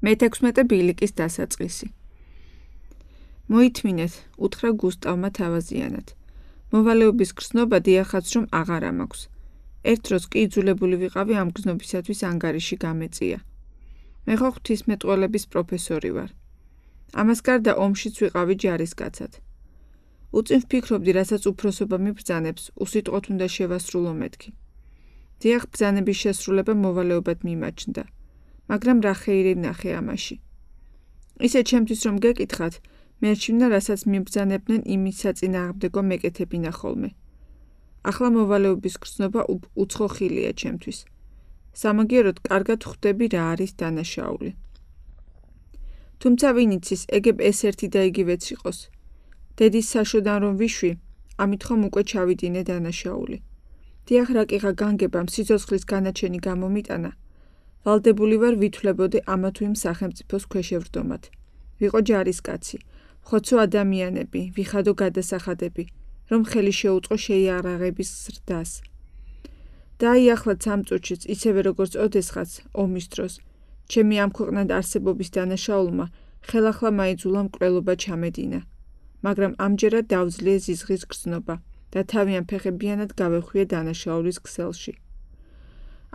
მე-16 ბილიკის დასაწყისი. მოითმინეთ, უთხრა გუსტავმა თავაზიანად. მოვალეობის გრძნობა დიახაც რომ აღარ ამაქვს. ერთ დროს კი იძულებული ვიყავი ამ გრძნობისათვის ანგარიში გამეწია. მე ხო ღვთისმეტყველების პროფესორი ვარ. ამას გარდა ომშიც ვიყავი ჯარისკაცად. უწინ ვფიქრობდი, რასაც უფროსობა მიბრძანებს, უსიტყვოდ უნდა შევასრულო მეთქი. დიახ, ბრძანების შესრულება მოვალეობად მიმაჩნდა. მაგრამ რა ხეირი ვნახე ამაში. ისე ჩემთვის რომ გეკითხათ, მერჩივნა რასაც მიბრძანებდნენ იმის საწინააღმდეგო მეკეთებინა ხოლმე. ახლა მოვალეობის გრძნობა უცხო ხილია ჩემთვის. სამაგიეროდ კარგად ხვდები რა არის დანაშაული. თუმცა ვინ იცის, ეგებ ეს ერთი და იგივეც იყოს. დედის საშოდან რომ ვიშვი, ამით ხომ უკვე ჩავიდინე დანაშაული. დიახ, რა კიღა განგებამ სიცოცხლის განაჩენი გამომიტანა. ვალდებული ვარ ვითვლებოდე ამა თუ იმ სახელმწიფოს ქვეშევრდომად. ვიყო ჯარისკაცი, ხოცო ადამიანები, ვიხადო გადასახადები, რომ ხელი შეუწყო შეიარაღების ზრდას. დაიახლად სამწუთშიც, ისევე როგორც ოდესღაც, ომის დროს, ჩემი ამ ქვეყნად არსებობის დანაშაულმა ხელახლა მაიძულა მკვლელობა ჩამედინა. მაგრამ ამჯერად დავძლია ზიზღის გრძნობა და თავიან ფეხებიანად გავეხვიე დანაშაულის ქსელში.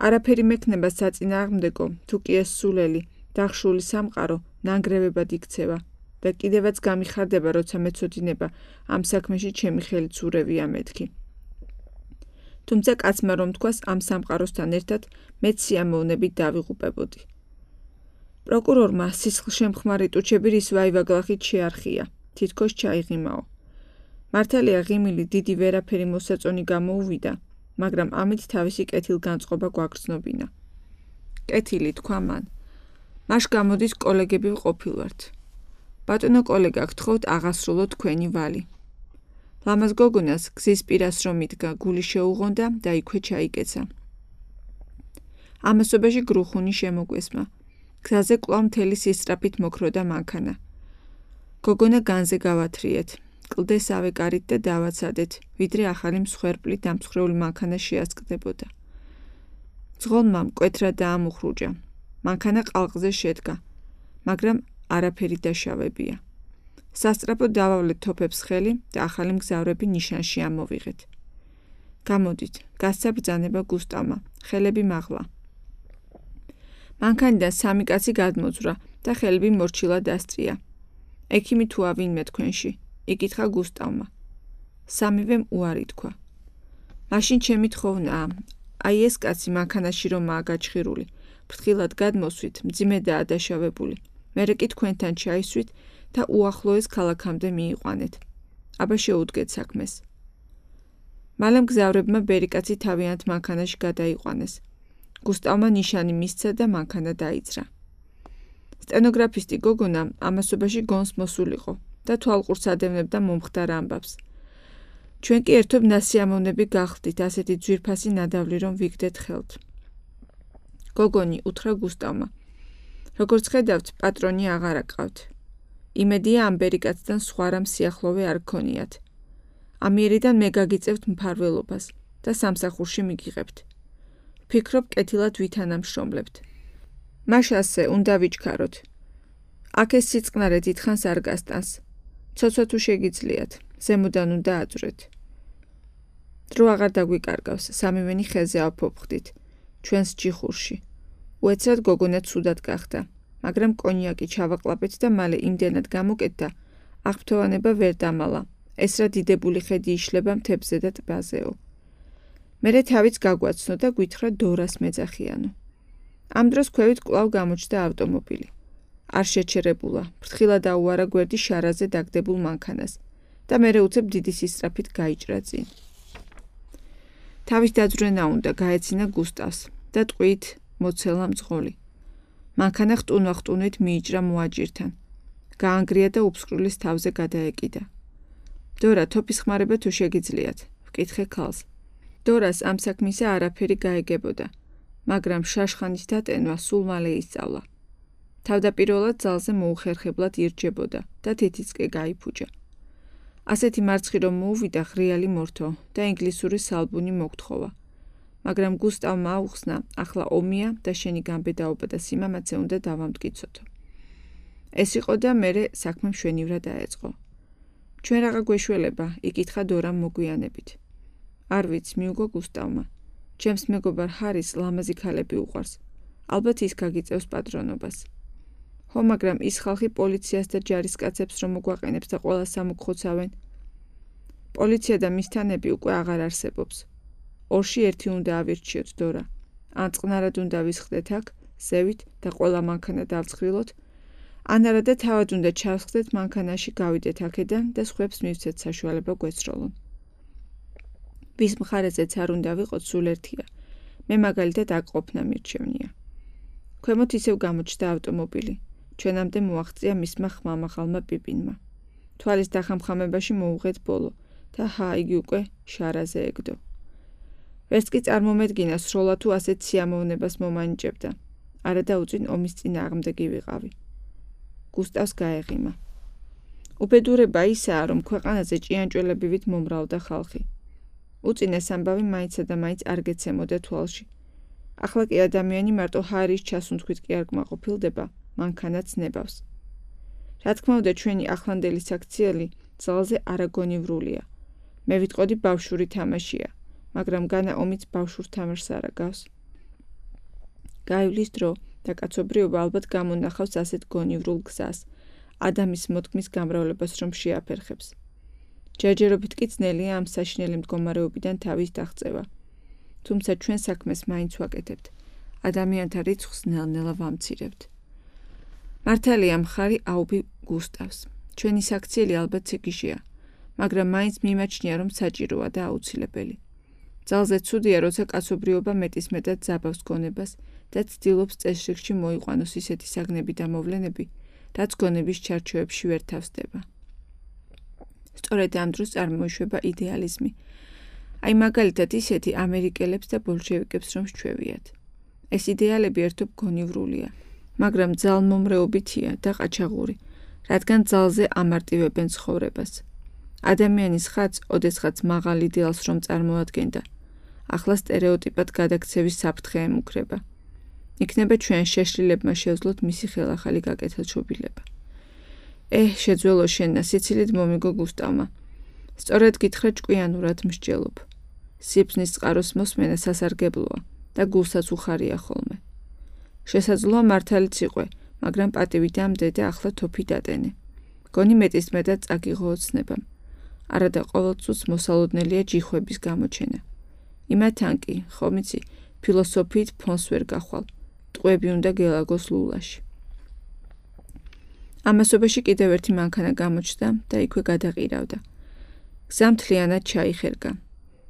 არაფერი მექნება საწინააღმდეგო, თუ კი ეს სულელი, დახშული სამყარო, ნანგრევებად იქცევა და კიდევაც გამიხარდება, როცა მეცოდინება ამ საქმეში ჩემი ხელიც ურევია მეთქი. თუმცა კაცმა რომ თქვას ამ სამყაროსთან ერთად მეც სიამოვნებით დავიღუპებოდი. პროკურორმა სისხლშემხმარი ტუჩები რის ვაივაგლახით შეარხია, თითქოს ჩაიღიმაო. მართალია ღიმილი დიდი ვერაფერი მოსაწონი გამოუვიდა, მაგრამ ამით თავისი კეთილგანწყობა გვაგრძნობინა. კეთილი თქვა მან. მაშ გამოდის კოლეგები ვყოფილვართ. ბატონო კოლეგა, გთხოვთ აღასრულო თქვენი ვალი. ლამაზ გოგონას გზის პირას რომ იდგა, გული შეუღონდა და იქვე ჩაიკეცა. ამასობაში გრუხუნი შემოგვესმა. გზაზე კვლავ მთელი სისწრაფით მოქროდა მანქანა. გოგონა განზე გავათრიეთ. კლდეს ავეკარით და დავაცადეთ, ვიდრე ახალი მსხვერპლი დამსხვრეული მანქანა შეასკდებოდა. ძღოლმა მკვეთრა დაამუხრუჭა. მანქანა ყალყზე შედგა, მაგრამ არაფერი დაშავებია. სასწრაფოდ დავავლეთ თოფებს ხელი და ახალი მგზავრები ნიშანში ამოვიღეთ. გამოდით, გასცა ბრძანება გუსტავმა, ხელები მაღლა. მანქანიდან სამი კაცი გადმოძვრა და ხელები მორჩილად დასწია. ექიმი თუა ვინმე თქვენში? იკითხა გუსტავმა. სამივემ უარი თქვა. მაშინ ჩემი თხოვნაა, აი ეს კაცი მანქანაში რომაა გაჩხირული, ფრთხილად გადმოსვით, მძიმედაა დაშავებული. მერე კი თქვენთან ჩაისვით და უახლოეს ქალაქამდე მიიყვანეთ. აბა შეუდგეთ საქმეს. მალე მგზავრებმა ბერიკაცი თავიანთ მანქანაში გადაიყვანეს. გუსტავმა ნიშანი მისცა და მანქანა დაიძრა. სტენოგრაფისტი გოგონა ამასობაში გონს მოსულიყო და თვალყურს ადევნებდა მომხდარ ამბავს. ჩვენ კი ერთობ ნასიამოვნები გახდით ასეთი ძვირფასი ნადავლი რომ ვიგდეთ ხელთ. გოგონი უთხრა გუსტავმა. როგორც ხედავთ, პატრონი აღარ აყავთ. იმედია ამ ბერიკაცთან სხვა რამ სიახლოვე არ გქონიათ. ამიერიდან მე გაგიწევთ მფარველობას და სამსახურში მიგიღებთ. ვფიქრობ, კეთილად ვითანამშრომლებთ. მაშ ასე უნდა ვიჩქაროთ. აქ ეს სიწყნარე დიდხანს არ გასტანს. ცოცვა თუ შეგიძლიათ, ზემოდან უნდა აძვრეთ. დრო აღარ დაგვიკარგავს, სამივენი ხეზე ავფოფხდით, ჩვენს ჯიხურში. უეცრად გოგონა ცუდად გახდა, მაგრამ კონიაკი ჩავაყლაპეთ და მალე იმდენად გამოკეთდა, აღფრთოვანება ვერ დამალა, ეს რა დიდებული ხედი იშლება მთებზე და ტბაზეო. მერე თავიც გაგვაცნო და გვითხრა დორას მეძახიანო. ამ დროს ქვევით კვლავ გამოჩნდა ავტომობილი. არ შეჩერებულა, ფრთხილად აუარა გვერდი შარაზე დაგდებულ მანქანას და მერე უცებ დიდი სისწრაფით გაიჭრა წინ. თავის დაძვრენა უნდა გაეცინა გუსტავს და ტყვით მოცელა მძღოლი. მანქანა ხტუნვა-ხტუნვით მიიჭრა მოაჯირთან. გაანგრია და უფსკრულის თავზე გადაეკიდა. დორა, თოფის ხმარება თუ შეგიძლიათ, ვკითხე ქალს. დორას ამ საქმისა არაფერი გაეგებოდა, მაგრამ შაშხანის დატენვა სულ მალე ისწავლა. თავდაპირველად ძალზე მოუხერხებლად ირჯებოდა და თითიც კი გაიფუჭა. ასეთი მარცხი რომ მოუვიდა ღრიალი მორთო და ინგლისური სალბუნი მოგთხოვა. მაგრამ გუსტავმა აუხსნა, ახლა ომია და შენი გამბედაობა და სიმამაცე უნდა დავამტკიცოთო. ეს იყო და მერე საქმე მშვენივრად დაეწყო. ჩვენ რაღა გვეშველება, იკითხა დორამ მოგვიანებით. არ ვიცი, მიუგო გუსტავმა. ჩემს მეგობარ ჰარის ლამაზი ქალები უყვარს. ალბათ ის გაგიწევს პატრონობას. ხო, მაგრამ ის ხალხი პოლიციას და ჯარისკაცებს რომ მოგვაყენებს და ყველას ამოგხოცავენ. პოლიცია და მისთანები უკვე აღარ არსებობს. ორში ერთი უნდა ავირჩიოთ, დორა. ან წყნარად უნდა ვისხდეთ აქ, ზევით და ყველა მანქანა დავცხრილოთ, ან არა და თავად უნდა ჩავსხდეთ მანქანაში, გავიდეთ აქედან და სხვებს მივცეთ საშუალება გვესროლონ. ვის მხარეზეც არ უნდა ვიყოთ, სულ ერთია. მე მაგალითად აქ ყოფნა მირჩევნია. ქვემოთ ისევ გამოჩნდა ავტომობილი. ჩვენამდე მოაღწია მისმა ხმამაღალმა პიპინმა. თვალის დახამხამებაში მოუღეთ ბოლო და იგი უკვე შარაზე ეგდო. ვერც კი წარმომედგინა სროლა თუ ასეთ სიამოვნებას მომანიჭებდა. არა და უწინ ომის წინააღმდეგი ვიყავი. გუსტავს გაეღიმა. უბედურება ისაა, რომ ქვეყანაზე ჭიანჭველებივით მომრავლდა ხალხი. უწინ ეს ამბავი მაინცსა და მაინც არ გეცემოდა თვალში. ახლა კი ადამიანი მარტო ჰარის ჩასუნთქვით კი არ კმაყოფილდება, მანქანაც ნებავს. რა თქმა უნდა, ჩვენი ახლანდელი საქციელი ძალზე არაგონივრულია. მე ვიტყოდი ბავშვური თამაშია, მაგრამ განა ომიც ბავშვურ თამაშს არ აგავს. გაივლის დრო და კაცობრიობა ალბათ გამონახავს ასეთ გონივრულ გზას, ადამის მოთქმის გამრავლებას რომ შეაფერხებს. ჯერჯერობით კი ძნელია ამ საშინელი მდგომარეობიდან თავის დაღწევა. თუმცა ჩვენ საქმეს მაინც ვაკეთებთ. ადამიანთა რიცხვს ნელ-ნელა ვამცირებთ. მართალია მხარი აუბი გუსტავს. ჩვენი საქციელი ალბათ ციგიშია, მაგრამ მაინც მიმაჩნია, რომ საჭიროა და აუცილებელი. ძალზე ცუდია, როცა კაცობრიობა მეტისმეტად ზაბავს გონებას და ცდილობს წესრიგში მოიყვანოს ისეთი საგნები და მოვლენები, რაც გონების ჩარჩოებში ვერ თავსდება. სწორედ ამ დროს წარმოიშვება იდეალიზმი. აი მაგალითად ისეთი ამერიკელებს და ბოლშევიკებს რომ სჩვევიათ. ეს იდეალები ერთობ გონივრულია, მაგრამ ძალმომრეობითია და ყაჩაღური, რადგან ძალზე ამარტივებენ ცხოვრებას. ადამიანის ხაც, ოდესღაც მაღალ იდეალს რომ წარმოადგენდა, ახლა სტერეოტიპად გადაქცევის საფრთხე ემუქრება. იქნება ჩვენ შეშლილებმა შევძლოთ მისი ხელახალი გაკეთილშობილება. შეძველო შენნა, სიცილით მომიგო გუსტავმა. სწორედ გითხრა ჭკვიანურად მსჯელობ. სიბზნის წყაროს მოსმენა სასარგებლოა და გულსაც უხარია ხოლმე. შესაძლოა მართალიც იყვე, მაგრამ პატივი დამდე და ახლა თოფი დადენე. გონი მეტისმეტად წაგიღო ოცნებამ. არა და ყოველწუთს მოსალოდნელია ჯიხვების გამოჩენა. იმათან კი, ხომ იცი, ფილოსოფიით ფონს ვერ გახვალ. ტყვეები უნდა გელაგოს ლულაში. ამასობაში კიდევ ერთი მანქანა გამოჩნდა და იქვე გადაყირავდა. გზა მთლიანად ჩაიხერგა.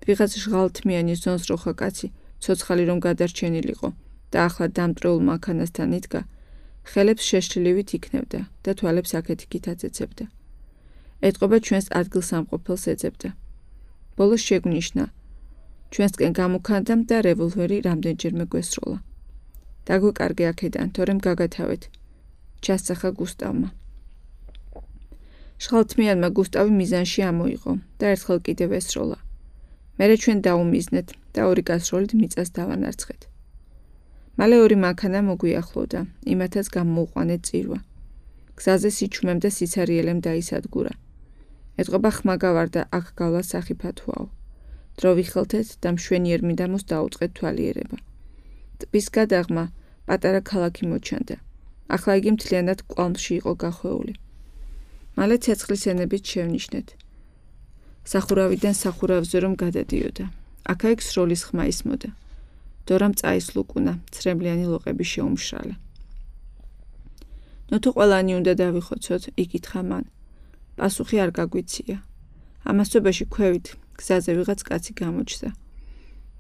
ვიღაც ჟღალთმიანი ზონზროხა კაცი, ცოცხალი რომ გადარჩენილიყო და ახლა დამტრეულ მანქანასთან იდგა, ხელებს შეშლილივით იქნევდა და თვალებს აქეთ-იქით აწეცებდა. ეტყობა ჩვენს ადგილსამყოფელს ეძებდა. ბოლოს შეგვნიშნა. ჩვენსკენ გამოქანდა და რევოლვერი რამდენჯერმე გვესროლა. დაგვეკარგე აქედან, თორემ გაგათავეთ. ჩასახა გუსტავმა. ჟღალთმიანმა გუსტავი მიზანში ამოიღო და ერთხელ კიდევ ესროლა. მერე ჩვენ დაუმიზნეთ და ორი გასროლით მიწას დავანარცხეთ. მალე ორი მანქანა მოგვიახლოვდა, იმათაც გამოუყვანეთ წირვა. გზაზე სიჩუმემ და სიცარიელემ დაისადგურა. ეტყობა ხმა გავარდა, აქ გავლა სახიფათოაო. დრო ვიხელთეთ და მშვენიერ მიდამოს დაუწყეთ თვალიერება. ტბის გადაღმა პატარა ქალაქი მოჩანდა. ახლა იგი მთლიანად კვალმში იყო გახვეული. მალე ცეცხლის ენებით შევნიშნეთ. სახურავიდან სახურავზე რომ გადადიოდა. აქა-იქ სროლის ხმა ისმოდა. დორამ წაისლუკუნა, ცრემლიანი ლოყები შეუმშრალა. ნოთო ყველანი უნდა დავიხოცოთ, იკითხა მან. პასუხი არ გაგვიცია. ამასობაში ქვევით გზაზე ვიღაც კაცი გამოჩნდა.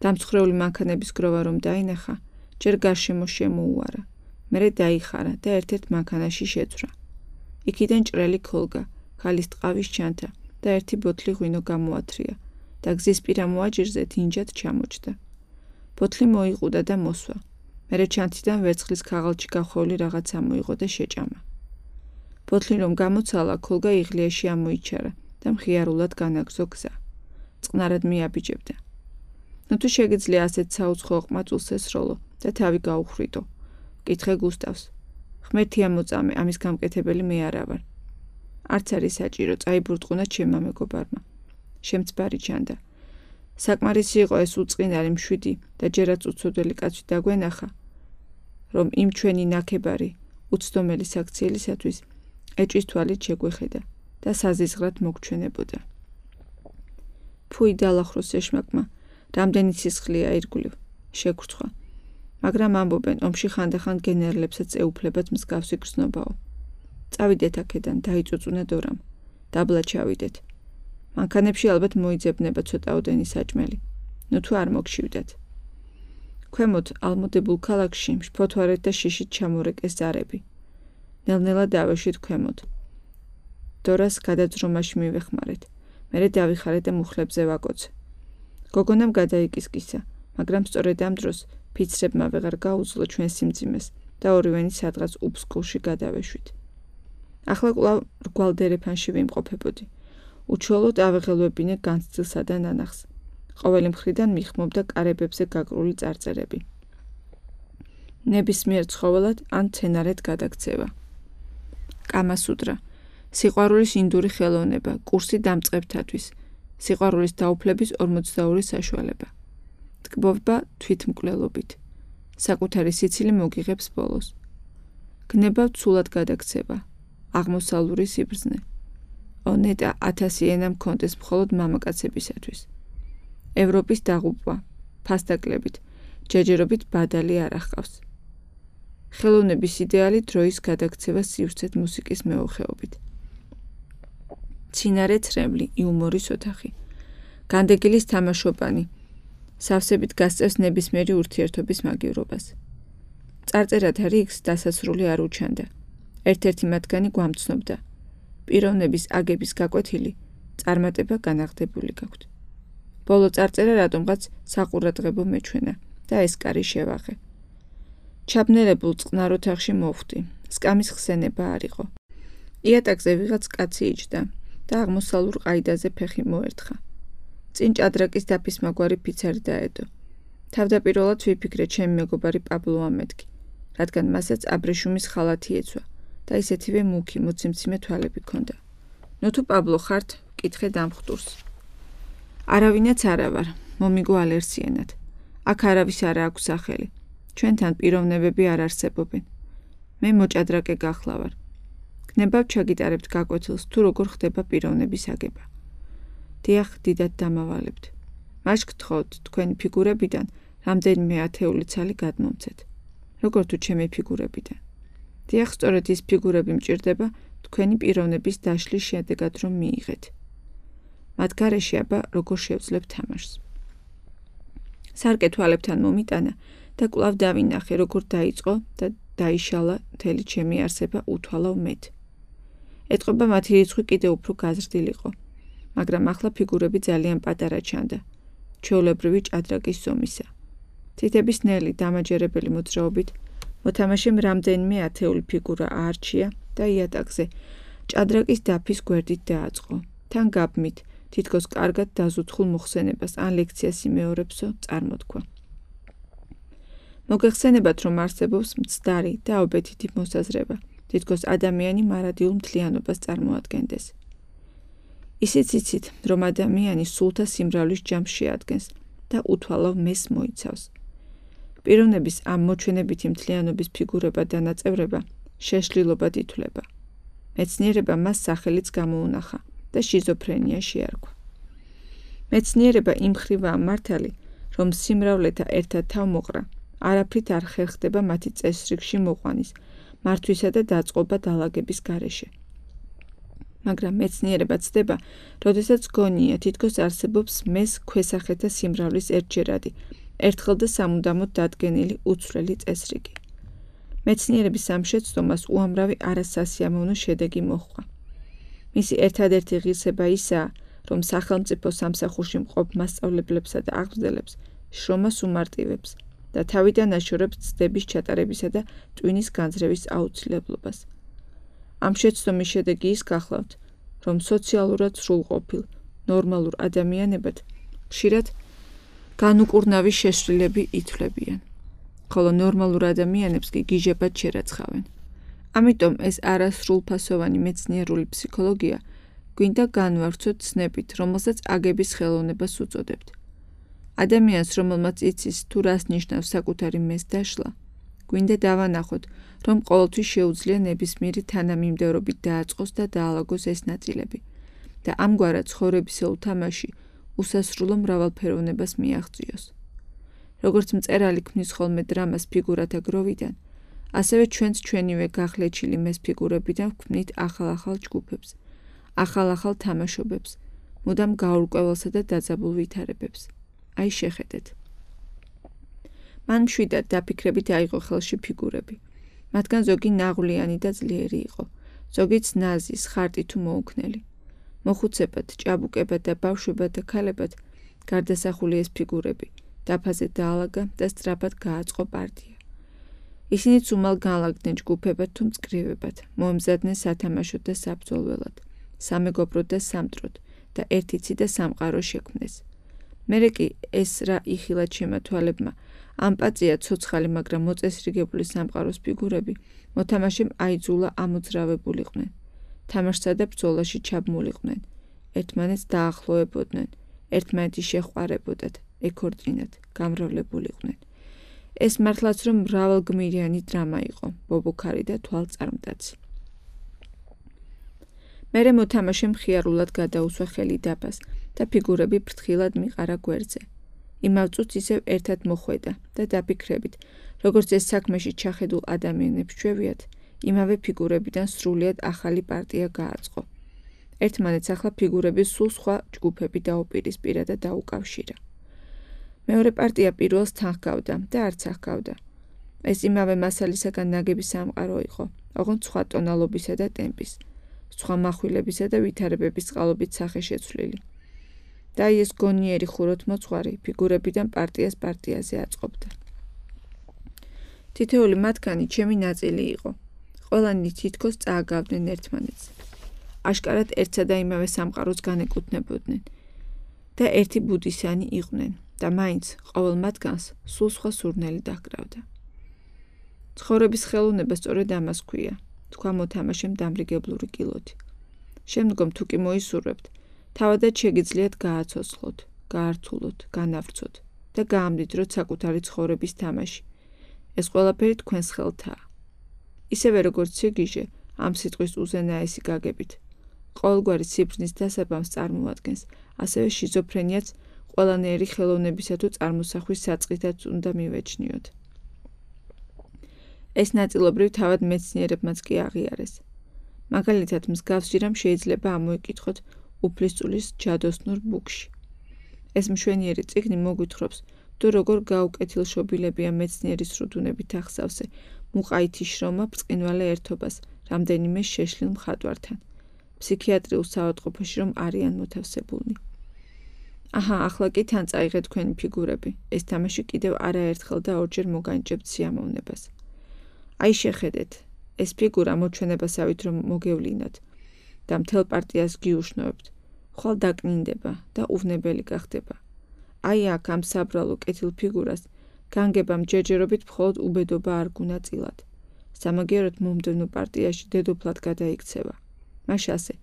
დამცხრეული მანქანების გროვა რომ დაინახა, ჯერ გარშემო შემოუარა. მერე დაიხარა და ერთ-ერთ მანქანაში შეძვრა. იქიდან ჭრელი ქოლგა, ქალის ტყავის ჩანთა და ერთი ბოთლი ღვინო გამოათრია და გზისპირა მოაჯირზე დინჯად ჩამოჭდა. ბოთლი მოიყუდა და მოსვა. მერე ჩანთიდან ვერცხლის ქაღალდში გახვეული რაღაცა მოიღო და შეჭამა. ბოთლი რომ გამოცალა, ქოლგა იღლიაში ამოიჩარა და მხიარულად განაგზო გზა. წყნარად მიაბიჯებდა. ნუ შეგიძლია ასეთ საუცხოო ყმაწვილს ესროლო და თავი გაუხრიტო. კითხე გუსტავს. ღმერთია მოწამე, ამის გამკეთებელი მე არა ვარ. არც არის საჭირო, წაიბრწყუნა ჩემმა მეგობარმა. შემწბარი ჩანდა. საკმარისი იყო ეს უწყინარი მშვიდი და ჯერაც უცოდველი კაცი დაგვენახა, რომ იმ ჩვენი ნაქებარი, უცდომელი საქციელისათვის ეჭვის თვალით შეგვეხედა და საზიზღრად მოგჩვენებოდა. ფუი დალახროს ეშმაკმა, რამდენი სისხლია ირგვლივ, შეგრცხვა. მაგრამ ამბობენ, ომში ხანდახან გენერლებსაც ეუფლებათ მსგავსი გრძნობაო. წავიდეთ აქედან, დაიწუწუნეთ ორამ, დაბლა ჩავიდეთ. მანქანებში ალბათ მოიძებნება ცოტაოდენი საჭმელი. ნუ თუ არ მოგშივდათ. ქვემოთ ალმოდებულ ქალაქში შფოთვარეთ და შიშით ჩამორეკეს ზარები. ნელ-ნელა დავეშვით ქვემოთ. დორას გადაძრომაში მივეხმარეთ. მერე დავიხარეთ და მუხლებზე ვაკოცე. გოგონამ გადაიკისკისა, მაგრამ სწორედ ამ დროს ფიცრებმა ვეღარ გაუძლო ჩვენ სიმძიმეს და ორივენი სადღაც უფსკულში გადავეშვით. ახლა კვლავ რგვალ დერეფანში ვიმყოფებოდი. უჩვეულოდ ავეღელვებინე განცდილსა და ნანახს. ყოველი მხრიდან მიხმობდა კარებებზე გაკრული წარწერები. ნებისმიერ ცხოველად ან მცენარედ გადაქცევა. კამასუტრა, სიყვარულის ინდური ხელოვნება, კურსი დამწყებთათვის, სიყვარულის დაუფლების 42 საშუალება. ტკბობა თვითმკვლელობით. საკუთარი სიცილი მოგიღებს ბოლოს. გნება ცულად გადაქცევა. აღმოსავლური სიბრძნე. ონეტა 1000 ენა მქონდეს მხოლოდ მამაკაცებისათვის. ევროპის დაღუპვა, ფასდაკლებით, ჯეჯერობით ბადალი არ ახყავს. ხელოვნების იდეალი დროის გადაქცევა სივრცეთ მუსიკის მეოხეობით. ცინარე ცრემლი, იუმორის ოთახი. განდეგილის თამაშობანი. სავსებით გასწევს ნებისმიერი ურთიერთობის მაგივრობას. წარწერათ რიგს დასასრული არ უჩანდა. ერთ-ერთი მათგანი გვამცნობდა. პიროვნების აგების გაკვეთილი წარმატება განაღდებული გაქვთ. ბოლო წარწერა რატომღაც საყურადღებო მეჩვენა და ეს კარი შევაღე. ჩაბნელებულ წყნარ ოთახში მოვხვდი. სკამის ხსენება არ იყო. იატაკზე ვიღაც კაცი იჯდა და აღმოსავლურ ყაიდაზე ფეხი მოერთხა. წინ ჭადრაკის დაფისმაგვარი ფიცარი დაედო. თავდაპირველად ვიფიქრე ჩემი მეგობარი პაბლო ამეთქი, რადგან მასაც აბრეშუმის ხალათი ეცვა და ისეთივე მუქი მოციმციმე თვალები ჰქონდა. ნუ თუ პაბლო ხართ, ვკითხე დამხტურს. არავინაც არა ვარ, მომიგო ალერსიანად. აქ არავის არა აქვს სახელი. ჩვენთან პიროვნებები არ არსებობენ. მე მოჭადრაკე გახლავარ. გნებავ ჩაგიტარებთ გაკვეთილს თუ როგორ ხდება პიროვნების აგება. დიახ, დიდად დამავალებთ. მას გთხოვთ, თქვენი ფიგურებიდან რამდენიმე ათეული ცალი გადმომცეთ. როგორ თუ ჩემი ფიგურებიდან. დიახ, სწორედ ის ფიგურები მჭირდება თქვენი პიროვნების დაშლის შედეგად რომ მიიღეთ. მათ გარეშე აბა როგორ შევძლებ თამაშს. სარკე თვალებთან მომიტანა და კვლავ დავინახე, როგორ დაიწყო და დაიშალა მთელი ჩემი არსება უთვალავ მეთ. ეტყობა მათი რიცხვი კიდევ უფრო გაზრდილიყო, მაგრამ ახლა ფიგურები ძალიან პატარა ჩანდა, ჩვეულებრივი ჭადრაკის ზომისა. თითების ნელი დამაჯერებელი მოძრაობით მოთამაშემ რამდენიმე ათეული ფიგურა აარჩია და იატაკზე ჭადრაკის დაფის გვერდით დააწყო. თან გაბმით, თითქოს კარგად დაზუთხულ მოხსენებას ან ლექციას იმეორებსო წარმოთქვა. მოგეხსენებათ, რომ არსებობს მცდარი და ობეთითი მოსაზრება, თითქოს ადამიანი მარადიულ მთლიანობას წარმოადგენდეს. ისიც იცით, რომ ადამიანი სულთა სიმრავლის ჯამს შეადგენს და უთვალავ მეს მოიცავს. პიროვნების ამ მოჩვენებითი მთლიანობის ფიგურება და ნაწევრება შეშლილობად ითვლება. მეცნიერება მას სახელიც გამოუნახა და შიზოფრენია შეარქვა. მეცნიერება იმ ხრივაა მართალი, რომ სიმრავლეთა ერთად თავმოყრა არაფრით არ ხერხდება მათი წესრიგში მოყვანის, მართვისა და დაწყობა დალაგების გარეშე. მაგრამ მეცნიერება ცდება, როდესაც გონია თითქოს არსებობს მეს ქვესახეთა სიმრავლის ერთჯერადი, ერთხელ და სამუდამოდ დადგენილი უცვლელი წესრიგი. მეცნიერების ამ შეცდომას უამრავი არასასიამოვნო შედეგი მოჰყვა. მისი ერთადერთი ღირსება ისაა, რომ სახელმწიფო სამსახურში მყოფ მასწავლებლებსა და აღმზრდელებს შრომას უმარტივებს და თავიდან აშორებს ცდების ჩატარებისა და ტვინის განძრევის აუცილებლობას. ამ შეცდომის შედეგი ის გახლავთ, რომ სოციალურად სრულყოფილ, ნორმალურ ადამიანებად ხშირად განუკურნავი შეშლილები ითვლებიან, ხოლო ნორმალურ ადამიანებს კი გიჟებად შერაცხავენ. ამიტომ ეს არასრულფასოვანი მეცნიერული ფსიქოლოგია გვინდა განვავრცოთ ცნებით, რომელსაც აგების ხელოვნებას უწოდებთ. ადამიანს, რომელმაც იცის თუ რას ნიშნავს საკუთარი მეს დაშლა, გვინდა დავანახოთ, რომ ყოველთვის შეუძლია ნებისმიერი თანამიმდევრობით დააწყოს და დაალაგოს ეს ნაწილები და ამგვარად ცხოვრებისეულ თამაში უსასრულო მრავალფეროვნებას მიაღწიოს. როგორც მწერალი ქმნის ხოლმე დრამას ფიგურათა გროვიდან, ასევე ჩვენც ჩვენივე გახლეჩილი მეს ფიგურებიდან ვქმნით ახალ-ახალ ჯგუფებს, ახალ-ახალ თამაშობებს, მუდამ გაურკვეველსა და დაძაბულ ვითარებებს. აი შეხედეთ. მან მშვიდად დაფიქრებით აიღო ხელში ფიგურები. მათგან ზოგი ნაღვლიანი და ძლიერი იყო, ზოგიც ნაზი, სხარტი თუ მოუქნელი. მოხუცებად, ჭაბუკებად და ბავშვებად და ქალებად გარდასახული ეს ფიგურები, დაფაზე დაალაგა და სწრაფად გააწყო პარტია. ისინიც უმალ განლაგდნენ ჯგუფებად თუ მწკრივებად, მოემზადნენ სათამაშოდ და საბრძოლველად, სამეგობროდ და სამტროდ და ერთიცი და სამყარო შექმნეს. მერე კი ეს რა იხილად შემათვალებმა, ამ პაწია ცოცხალი, მაგრამ მოწესრიგებული სამყაროს ფიგურები მოთამაშემ აიძულა ამოძრავებულიყვნენ. თამაშსა და ბრძოლაში ჩაბმულიყვნენ, ერთმანეთს დაახლოებოდნენ, ერთმანეთი შეჰყარებოდათ, ეკორწინათ, გამრავლებულიყვნენ. ეს მართლაც რომ მრავალგმირიანი დრამა იყო, ბობოქარი და თვალწარმტაცი. მერე მოთამაშემ ხიარულად გადაუსვა ხელი დაბას და ფიგურები ფრთხილად მიყარა გვერდზე. იმავ წუთს ისევ ერთად მოხვედა და დაფიქრებით, როგორც ეს საქმეში ჩახედულ ადამიანებს ჩვევიათ, იმავე ფიგურებიდან სრულიად ახალი პარტია გააწყო. ერთმანეთს ახლა ფიგურების სულ სხვა ჯგუფები დაუპირისპირა და დაუკავშირა. მეორე პარტია პირველს თან ჰგავდა და არც ახგავდა. ეს იმავე მასალისაგან ნაგები სამყარო იყო, ოღონდ სხვა ტონალობისა და ტემპის, სხვა מחვილებისა და ვითარებების წყალობით სახეშეცვლილი. და ეს გონიერი ხუროთმოძღვარი ფიგურებიდან პარტიას პარტიაზე აწყობდა. თითოეული მათგანი ჩემი ნაწილი იყო. ყველანი თითქოს წააგავდნენ ერთმანეთს. აშკარად ერთსა და იმავე სამყაროს განეკუთვნებოდნენ და ერთი ბუდისანი იყვნენ და მაინც ყოველ მათგანს სულ სხვა სურნელი დაჰკრავდა. ცხოვრების ხელოვნება სწორედ ამას ქვია, თქვა მოთამაშემ დამრიგებლური კილოთი. შემდგომ თუ კი მოისურვებთ, თავადაც შეგიძლიათ გააცოცხლოთ, გაართულოთ, განავრცოთ და გაამდიდროთ საკუთარი ცხოვრების თამაში. ეს ყველაფერი თქვენს ხელთაა. ისევე როგორც სიგიჟე ამ სიტყვის უზენაესი გაგებით, ყოველგვარი სიბრძნის დასაბამს წარმოადგენს, ასევე შიზოფრენიაც ყველანაირი ხელოვნებისა თუ წარმოსახვის საწყითაც უნდა მივეჩნიოთ. ეს ნაწილობრივ თავად მეცნიერებმაც კი აღიარეს. მაგალითად, მსგავსი რამ შეიძლება ამოიკითხოთ უფლისწულის ჯადოსნურ ბუქში. ეს მშვენიერი წიგნი მოგვითხრობს, თუ როგორ გაუკეთილშობილებია მეცნიერის რუდუნებით ახსავსე მუყაითი შრომა ბრწყინვალე ერთობას რამდენიმე შეშლილ მხატვართან, ფსიქიატრიულ საავადმყოფოში რომ არიან მოთავსებულნი. აჰა, ახლა კი თან წაიღეთ თქვენი ფიგურები. ეს თამაში კიდევ არაერთხელ და ორჯერ მოგანიჭებთ სიამოვნებას. აი შეხედეთ, ეს ფიგურა მოჩვენებასავით რომ მოგევლინოთ და მთელ პარტიას გიუშნოებთ, ხვალ დაკნინდება და უვნებელი გახდება. აი აქ ამ საბრალო კეთილ ფიგურას განგებამ ჯერჯერობით მხოლოდ უბედობა არ გუნაწილად. სამაგიეროდ მომდევნო პარტიაში დედოფლად გადაიქცევა. მაშ ასე,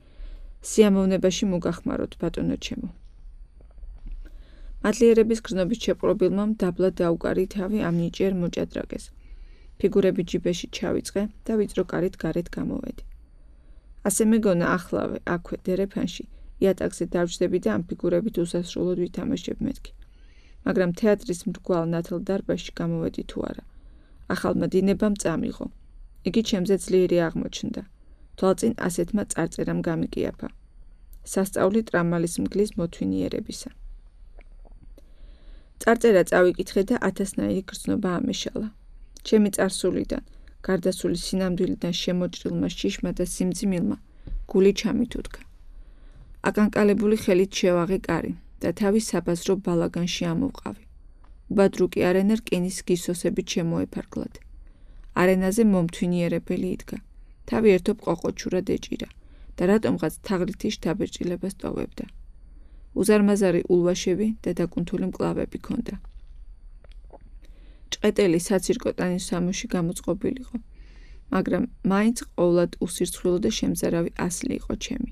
სიამოვნებაში მოგახმაროთ, ბატონო ჩემო. მადლიერების გრძნობით შეპყრობილმა დაბლა დაუკარი თავი ამ ნიჭიერ მოჭადრაკეს. ფიგურები ჯიბეში ჩავიწყე და ვიწრო კარით გარეთ გამოვედი. ასე მეგონა ახლავე, აქვე, დერეფანში, იატაკზე დავჯდები და ამ ფიგურებით უსასრულოდ ვითამაშებ მეთქი. მაგრამ თეატრის მრგვალ ნათელ დარბაზში გამოვედი თუ არა. ახალმა დინებამ წამიღო. იგი ჩემზე ძლიერი აღმოჩნდა. თვალწინ ასეთმა წარწერამ გამიკიაფა. სასწაული ტრამალის მგლის მოთვინიერებისა. წარწერა წავიკითხე და 1000-ნაირი გრძნობა ამეშალა. ჩემი წარსულიდან, გარდაცვლილის სინამდვილიდან შემოჭრილმა შიშმა და სიმძიმილმა გული ჩამითუდგა. აკანკალებული ხელით შევაღე კარი და თავის საბაზრო ბალაგანში ამოვყავი. უბადრუკი არენა რკინის გისოსებით შემოეფარგლად. არენაზე მომთვინიერებელი იდგა. თავი ერთობ ყოყოჩურად ეჭირა და რატომღაც თაღლითი შთაბეჭდილებას ტოვებდა. უზარმაზარი ულვაშები და დაკუნთული მკლავები ჰქონდა. ჭყეტელი საცირკო ტანის სამოში გამოწყობილიყო. მაგრამ მაინც ყოვლად უსირცხვილო და შემზარავი ასლი იყო ჩემი.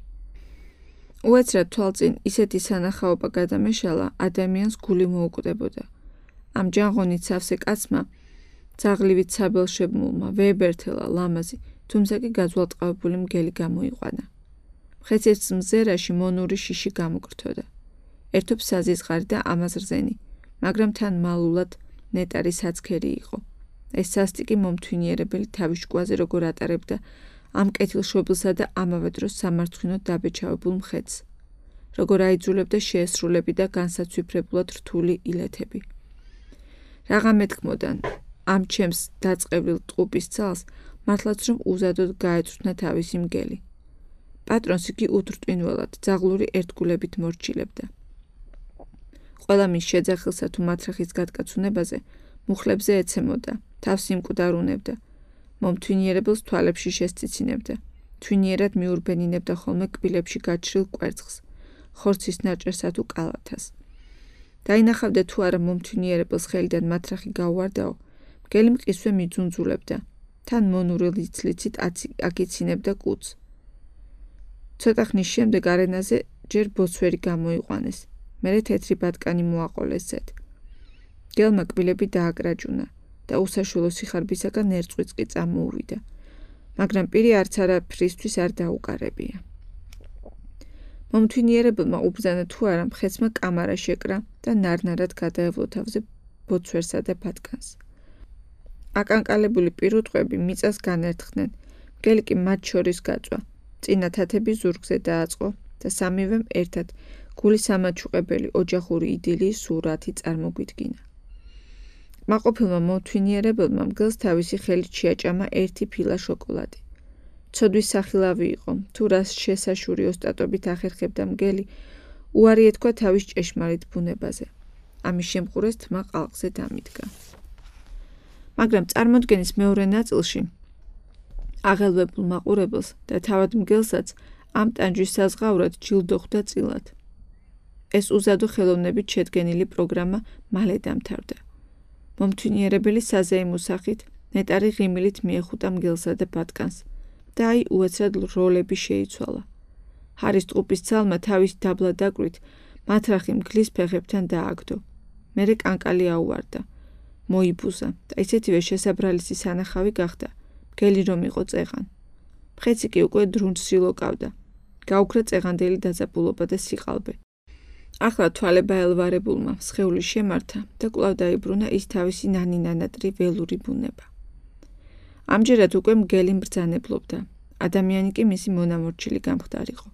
უეცრად თვალწინ ისეთი სანახაობა გადამეშალა, ადამიანს გული მოუკვდებოდა. ამ ჯანღონით სავსე კაცმა, ძაღლივით საბელშემულმა, ვეებერთელა, ლამაზი, თუმცა კი გაძვალტყავებული მგელი გამოიყვანა. მხეცის მზერაში მონური შიში გამოგრთოდა. ერთობ საზიზღარი და ამაზრზენი, მაგრამ თან მალულად ნეტარი საცქერი იყო. ეს სასტიკი მომთვინიერებელი თავის ჭკუაზე როგორ ატარებდა ამ კეთილშობილსა და ამავე დროს სამარცხვინოდ დაბეჭავებულ მხედს. როგორ აიძულებდა შეესრულები და განსაცვიფრებულად რთული ილეთები. რაღა მეთქმოდა ამ ჩემს დაწყევლილ ტყუპის ძალს, მართლაც რომ უზადოდ გაეწვრთნა თავისი მგელი. პატრონს იგი უდრტვინველად, ძაღლური ერთგულებით მორჩილებდა. ყველა მის შეძახილსა თუ მათრახის გადკაცუნებაზე მუხლებზე ეცემოდა, თავს იმკვდარუნებდა, მომთვინიერებელს თვალებში შესწიცინებდა, თვინიერად მიურბენინებდა ხოლმე კბილებში გაჩრილ კვერცხს, ხორცის ნაჭერსა თუ კალათას. დაინახავდა თუ არა მომთვინიერებელს ხელიდან მათრახი გაუვარდაო, მგელი მყისვე მიძუნძულებდა, თან მონური ლიცლიცით აკიცინებდა კუძს. ცოტა ხნის შემდეგ არენაზე ჯერ ბოცვერი გამოიყვანეს, მერე თეთრი ბატკანი მოაყოლეს ზედ. მგელმა კბილები დააკრაჭუნა და უსაშვილო სიხარბისაგან ერწყვიც კი წამოუვიდა, მაგრამ პირი არც არაფრისთვის არ დაუკარებია. მომთვინიერებელმა უბრძანა თუ არა მხეცმა კამარა შეკრა და ნარნარად გადაევლო თავზე ბოცვერსა და ბატკანს. აკანკალებული პირუტყვები მიწას განერთხნენ, მგელი კი მათ შორის გაწვა, წინა თათები ზურგზე დააწყო და სამივემ ერთად გულისამაჩუყებელი ოჯახური იდილიის სურათი წარმოგვიდგინა. კმაყოფილმა მომთვინიერებელმა მგელს თავისი ხელით შეაჭამა ერთი ფილა შოკოლადი. ცოდვის სახილავი იყო, თუ რას შესაშური ოსტატობით ახერხებდა მგელი, უარი ეთქვა თავის ჭეშმარიტ ბუნებაზე. ამის შემყურეს თმა ყალყზე დამიდგა. მაგრამ წარმოდგენის მეორე ნაწილში აღელვებულ მაყურებელს და თავად მგელსაც ამ ტანჯვის საზღაურად ჯილდო ხვდა წილად. ეს უზადო ხელოვნებით შედგენილი პროგრამა მალე დამთავრდა. მომთვინიერებელი საზეიმო სახით ნეტარი ღიმილით მიეხუტა მგელსა და ბატკანს და აი უეცრად როლები შეიცვალა. ჰარის ტყუპის ძალმა თავის დაბლა დაკვირით მათრახი მგლის ფეხებთან დააგდო. მერე კანკალი აუვარდა, მოიბუზა და ისეთივე შესაბრალისი სანახავი გახდა, მგელი რომ იყო წეღან. მხეცი კი უკვე დრუნჩს სილოკავდა. გაუქრა წეღანდელი დაძაბულობა და სიყალბე. ახლა თვალება ელვარებულმა სხეული შემართა და კვლავ დაიბრუნა ის თავისი ნანი-ნანატრი ველური ბუნება. ამჯერად უკვე მგელი მბრძანებლობდა, ადამიანი კი მისი მონამორჩილი გამხდარიყო.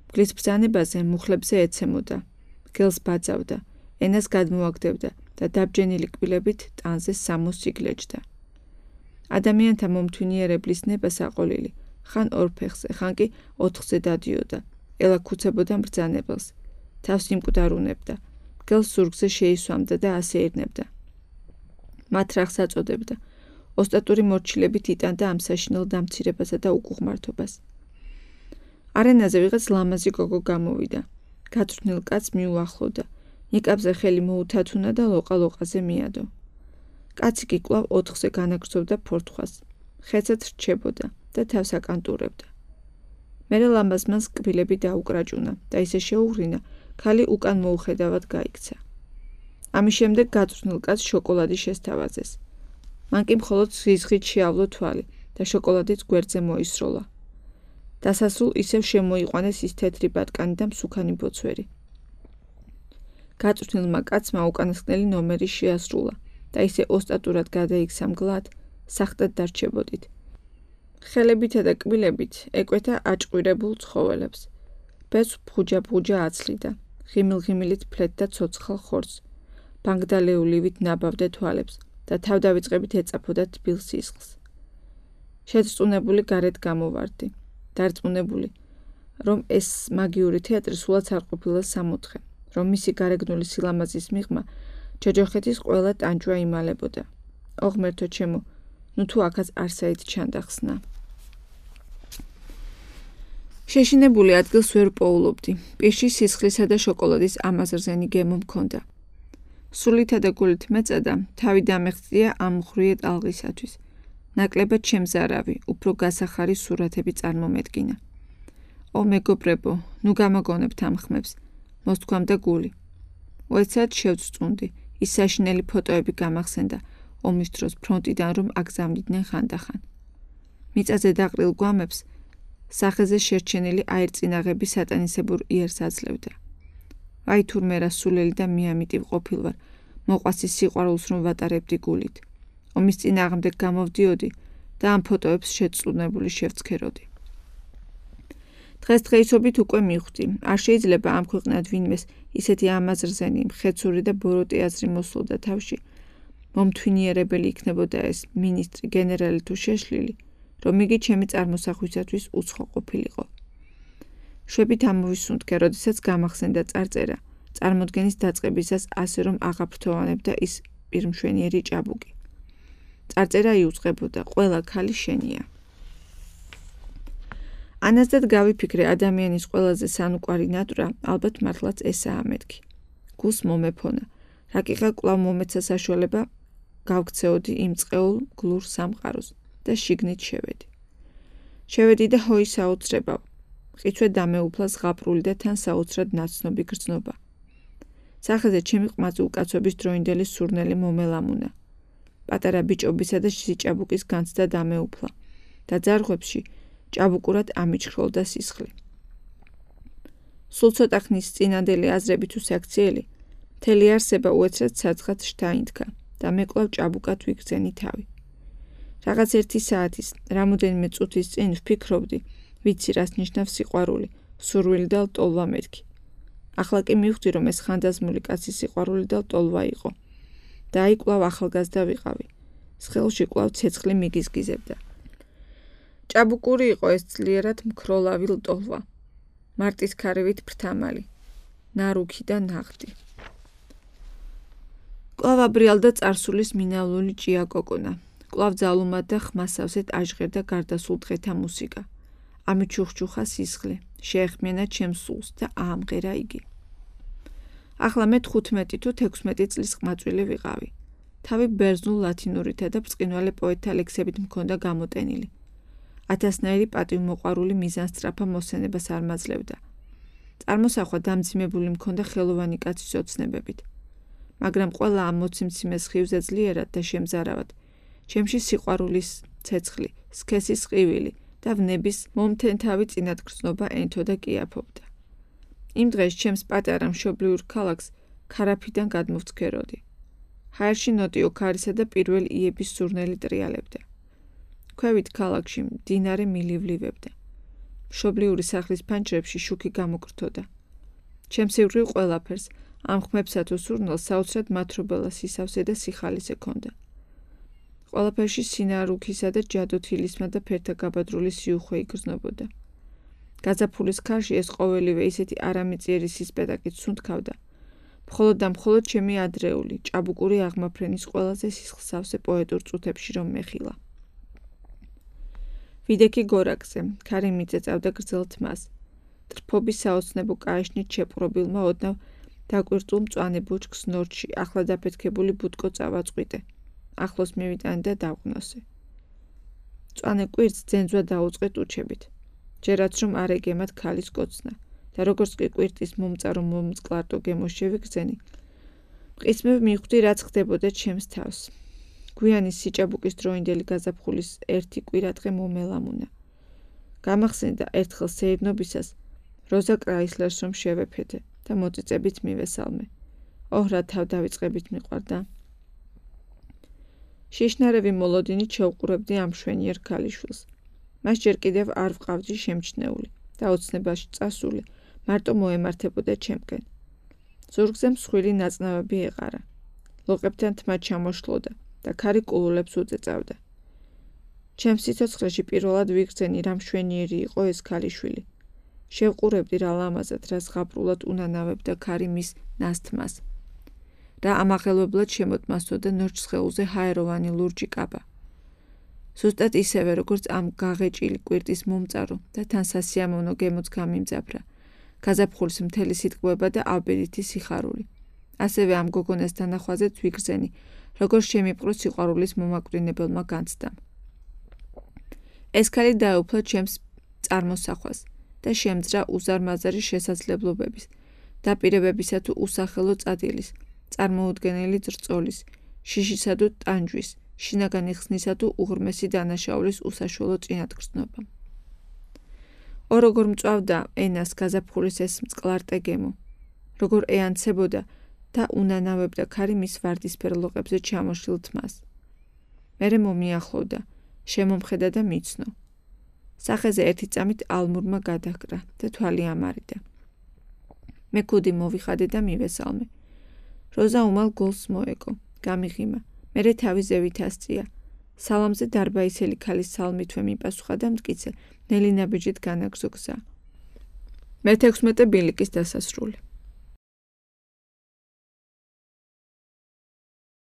მგლის ბრძანებაზე მუხლებზე ეცემოდა, მგელს ბაძავდა, ენას გადმოაგდებდა და დაბჯენილი კბილებით ტანზე სამოს იგლეჯდა. ადამიანთა მომთვინიერებლის ნება საყოლილი, ხან ორ ფეხზე, ხან კი ოთხზე დადიოდა, ელაქუცებოდა მბრძანებელს. თავს იმკვდარუნებდა, მგელს ზურგზე შეისვამდა და ასე ერნებდა. მათრახს აწოდებდა, ოსტატური მორჩილებით იტანდა ამ საშინელ დამცირებასა და უკუღმართობას. არენაზე ვიღაც ლამაზი გოგო გამოვიდა, გაწვრთნილ კაცს მიუახლოვდა, ნიკაბზე ხელი მოუთათუნა და ლოყა-ლოყაზე მიადო. კაცი კი კვლავ ოთხზე განაგრძობდა ფორთხვას, ხეცად რჩებოდა და თავს აკანტურებდა. მერე ლამაზმანს კბილები დაუკრაჭუნა და ისე შეუღრინა, ქალი უკან მოუხედავად გაიქცა. ამის შემდეგ გაწვრთნილ კაცს შოკოლადი შესთავაზეს. მან კი მხოლოდ ზიზღით შეავლო თვალი და შოკოლადიც გვერდზე მოისროლა. დასასრულ ისევ შემოიყვანეს ის თეთრი ბატკანი და მსუქანი ბოცვერი. გაწვრთნილმა კაცმა უკანასკნელი ნომერი შეასრულა და ისე ოსტატურად გადაიქცა მგლად, სახტად დარჩებოდით. ხელებითა და კბილებით ეკვეთა აჭყვირებულ ცხოველებს. ბეწვ ბღუჯა-ბღუჯა აცლიდა, ღიმილ-ღიმილით ფლეთდა ცოცხალ ხორცს, ბანგდალეულივით ნაბავდა თვალებს და თავდავიწყებით ეწაფოდა თბილ სისხლს. შეძრწუნებული გარეთ გამოვარდი, დარწმუნებული, რომ ეს მაგიური თეატრი სულაც არ ყოფილა სამოთხე, რომ მისი გარეგნული სილამაზის მიღმა ჯოჯოხეთის ყველა ტანჯვა იმალებოდა. ოღმერთო ჩემო, ნუ თუ აქაც არსაით ჩანდახსნა. შეშინებული ადგილს ვერ პოულობდი, პირში სისხლისა და შოკოლადის ამაზრზენი გემო მქონდა. სულითა და გულით მეწადა, თავი დამეხწია ამ მღრიე ტალღისათვის. ნაკლებად შემზარავი, უფრო გასახარი სურათები წარმომედგინა. ო მეგობრებო, ნუ გამოგონებთ ამ ხმებს, მოსთქვამდა გული. უეცად შევწწუნდი, ის საშინელი ფოტოები გამახსენდა, ომის დროს ფრონტიდან რომ აგზავნიდნენ ხანდახან. მიწაზე დაყრილ გვამებს სახეზე შერჩენილი აირწინაღები სატანისებურ იერს აძლევდა. აი თურმე რა სულელი და მიამიტივ ყოფილვარ, მოყვასის სიყვარულს რომ ვატარებდი გულით. ომის წინააღმდეგ გამოვდიოდი და ამ ფოტოებს შეწუნებული შევცქეროდი. დღესდღეობით უკვე მივხვდი, არ შეიძლება ამ ქვეყნად ვინმეს ისეთი ამაზრზენი, მხეცური და ბოროტი აზრი მოსულდა თავში, მომთვინიერებელი იქნებოდა ეს მინისტრი, გენერალი თუ შეშლილი, რომ იგი ჩემი წარმოსახვისათვის უცხო ყოფილიყო. შვებით ამოვისუნთქე, როდესაც გამახსენდა წარწერა, წარმოდგენის დაწყებისას ასე რომ აღაფრთოვანებდა ის პირმშვენიერი ჭაბუკი. წარწერა იუწყებოდა, ყველა ქალი შენია. ანაზდად გავიფიქრე, ადამიანის ყველაზე სანუკვარი ნატვრა, ალბათ მართლაც ესაა მეთქი. გულს მომეფონა, რაკიღა კვლავ მომეცა საშუალება, გავქცეოდი იმ წყეულ გლურ სამყაროს და შიგნით შევედი. შევედი და ჰოი საოცრებავ. მყიცვე დამეუფლა ზღაპრული და თან საოცრად ნაცნობი გრძნობა. სახეზე ჩემი ყმაწი უკაცობის დროინდელი სურნელი მომელამუნა. პატარა ბიჭობისა და სიჭაბუკის განცდა დამეუფლა და ძარღვებში ჭაბუკურად ამიჩხროლდა სისხლი. სულ ცოტა ხნის წინანდელი აზრები თუ საქციელი, მთელი არსება უეცრად საცხად შთაინთქა და მე კვლავ ჭაბუკად ვიგრძენი თავი. რაღაც 1 საათის, რამოდენიმე წუთის წინ ვფიქრობდი, ვიცი რას ნიშნავს სიყვარული, სურვილი და ლტოლვა მეთქი. ახლა კი მივხვდი, რომ ეს ხანდაზმული კაცის სიყვარული და ლტოლვა იყო. და აი კვლავ ახალგაზრდა ვიყავი. სხეულში კვლავ ცეცხლი მიგიზგიზებდა. ჭაბუკური იყო ეს ძლიერად მქროლავი ლტოლვა. მარტის ქარევით ფრთამალი, ნარუქი და ნაღდი. კვლავ აბრიალდა წარსულის მინავლული ჭია კოკონა. კვლავ ძალუმად და ხმასავსეთ აჟღერდა გარდასულ დღეთა მუსიკა. ამიჩუხჩუხა სისხლი, შეეხმიანა ჩემს სულს და აამღერა იგი. ახლა მე 15 თუ 16 წლის ყმაწვილი ვიყავი. თავი ბერძნულ ლათინურითა და ბრწყინვალე პოეტთა ლექსებით მქონდა გამოტენილი. ათასნაირი პატივმოყვარული მიზანსწრაფა მოსენებას არ მაძლევდა. წარმოსახვა დამძიმებული მქონდა ხელოვანი კაცის ოცნებებით. მაგრამ ყველა ამ მოციმციმე სხივზე ძლიერად და შემზარავად, ჩემში სიყვარულის ცეცხლი, სქესის ყივილი და ვნების მომთენთავი წინათგრძნობა ენთო და კიაფობდა. იმ დღეს ჩემს პატარა მშობლიურ ქალაქს ქარაფიდან გადმოვცქეროდი. ჰაერში ნოტიო ქარისა და პირველი იების სურნელი ტრიალებდა. ქვევით ქალაქში მდინარე მილივლებდა. მშობლიური სახლის ფანჯრებში შუქი გამოკრთოდა. ჩემს ირგვლივ ყველაფერს, ამ ხმებსა თუ სურნელს საოცრად მათრობელა სისავსე და სიხალის ექონდა. ყველაფერში სინარუქისა და ჯადოთილისმა და ფერთა გაბადრული სიუხვე იგრძნობოდა. გაზაფხულის ქარში ეს ყოველივე ისეთი არამიწიერი სისპეტაკით სუნთქავდა. მხოლოდ და მხოლოდ ჩემი ადრეული, ჭაბუკური აღმაფრენის ყველაზე სისხლსავსე პოეტურ წუთებში რომ მეხილა. ვიდექი გორაკზე, ქარი მიწეწავდა გრძელ თმას. ტრფობის საოცნებო კაიშნით შეპყრობილმა ოდნავ დაკვირტულ მწვანე ბუჩქს ნორჩი, ახლა დაფეთქებული ბუტკო წავაწყვიტე. ახლოს მივიტანე და დავყნოსე. მწვანე კვირტს ძენძვა დაუწყე ტუჩებით. ჯერაც რომ არ ეგემათ ქალის კოცნა და როგორც კი კვირტის მომწარო მომწყლარტო გემოს შევიგრძენი, მყისმევ მივხვდი, რაც ხდებოდა ჩემს თავს. გვიანი სიჭაბუკის დროინდელი გაზაფხულის ერთი კვირადღე მომელამუნა. გამახსენდა ერთხელ სეირნობისას როზა კრაისლერს რომ შევეფეთე და მოწიწებით მივესალმე. ოჰ, რა თავ დავიწყებით მიყვარდა. შიშნარევი მოლოდინით შევყურებდი ამ მშვენიერ ქალიშვილს. მას ჯერ კიდევ არ ვყავდი შემჩნეული და ოცნებაში წასული, მარტო მოემართებოდა ჩემკენ. ზურგზე მსხვილი ნაწნავები ეყარა. ლოყებთან თმა ჩამოშლოდა და ქარი კულულებს უწეწავდა. ჩემს სიცოცხლეში პირველად ვიგრძენი, რა მშვენიერი იყო ეს ქალიშვილი. შევყურებდი რა ლამაზად, რა ზღაპრულად უნანავებდა ქარი მის ნასთმას. რა ამაღელვებლად შემოტმასოდა ნორჩ სხეულზე ჰაეროვანი ლურჯი კაბა. ზუსტად ისევე, როგორც ამ გაღეჭილი კვირტის მომწარო და თან სასიამოვნო გემოც გამიმძაფრა. გაზაფხულის მთელი სიტყვება და აბერითი სიხარული. ასევე ამ გოგონას თანახვაზეც ვიგრძენი, როგორც შემიპყრო სიყვარულის მომაკვდინებელმა განცდამ. ეს ქალი დაეუფლა ჩემს წარმოსახვას და შემძრა უზარმაზარი შესაძლებლობების, დაპირებებისა თუ usახელო წადილის, წარმოუდგენელი ძრწოლის, შიშისა თუ ტანჯვის, შინაგანი ხსნისა თუ უღრმესი დანაშაულის უსაშველო წინათგრძნობა. როგორ მწვავდა ენას გაზაფხულის ეს მწყლარტე გემო, როგორ ეანცებოდა და უნანავებდა ქარი მის ვარდისფერ ლოყებზე ჩამოშლილ თმას. მერე მომიახლოვდა, შემომხედა და მიცნო. სახეზე ერთი წამით ალმურმა გადაჰკრა და თვალი ამარიდა. მე ქუდი მოვიხადე და მივესალმე. როზა უმალ გოლს მოეკო, გამიღიმა, მერე თავი ზევით ასწია. სალამზე დარბაისელი ქალის სალმითვე მიპასუხა და მტკიცე, ნელი ნაბიჯით განაგზო გზა. მე-16 ბილიკის დასასრული.